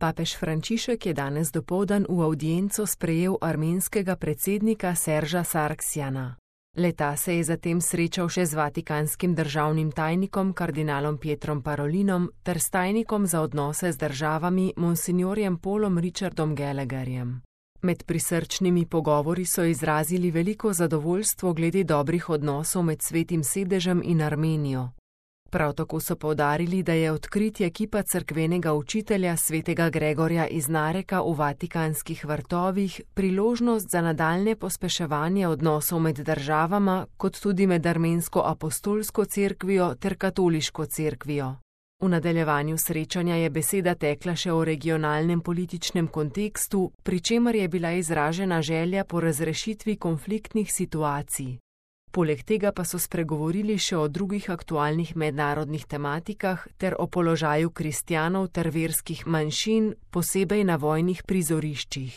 Papež Frančišek je danes dopoldan v avdienco sprejel armenskega predsednika Serža Sargsjana. Le-ta se je zatem srečal še z vatikanskim državnim tajnikom kardinalom Pietrom Parolinom ter s tajnikom za odnose z državami monsinjorjem Paulom Richardom Gallagherjem. Med prisrčnimi pogovori so izrazili veliko zadovoljstvo glede dobrih odnosov med Svetim sedežem in Armenijo. Prav tako so poudarili, da je odkritje kipa cerkvenega učitelja svetega Gregorja iz Nareka v Vatikanskih vrtovih priložnost za nadaljnje pospeševanje odnosov med državama, kot tudi med armensko apostolsko cerkvijo ter katoliško cerkvijo. V nadaljevanju srečanja je beseda tekla še o regionalnem političnem kontekstu, pri čemer je bila izražena želja po razrešitvi konfliktnih situacij. Poleg tega pa so spregovorili še o drugih aktualnih mednarodnih tematikah ter o položaju kristjanov ter verskih manjšin, posebej na vojnih prizoriščih.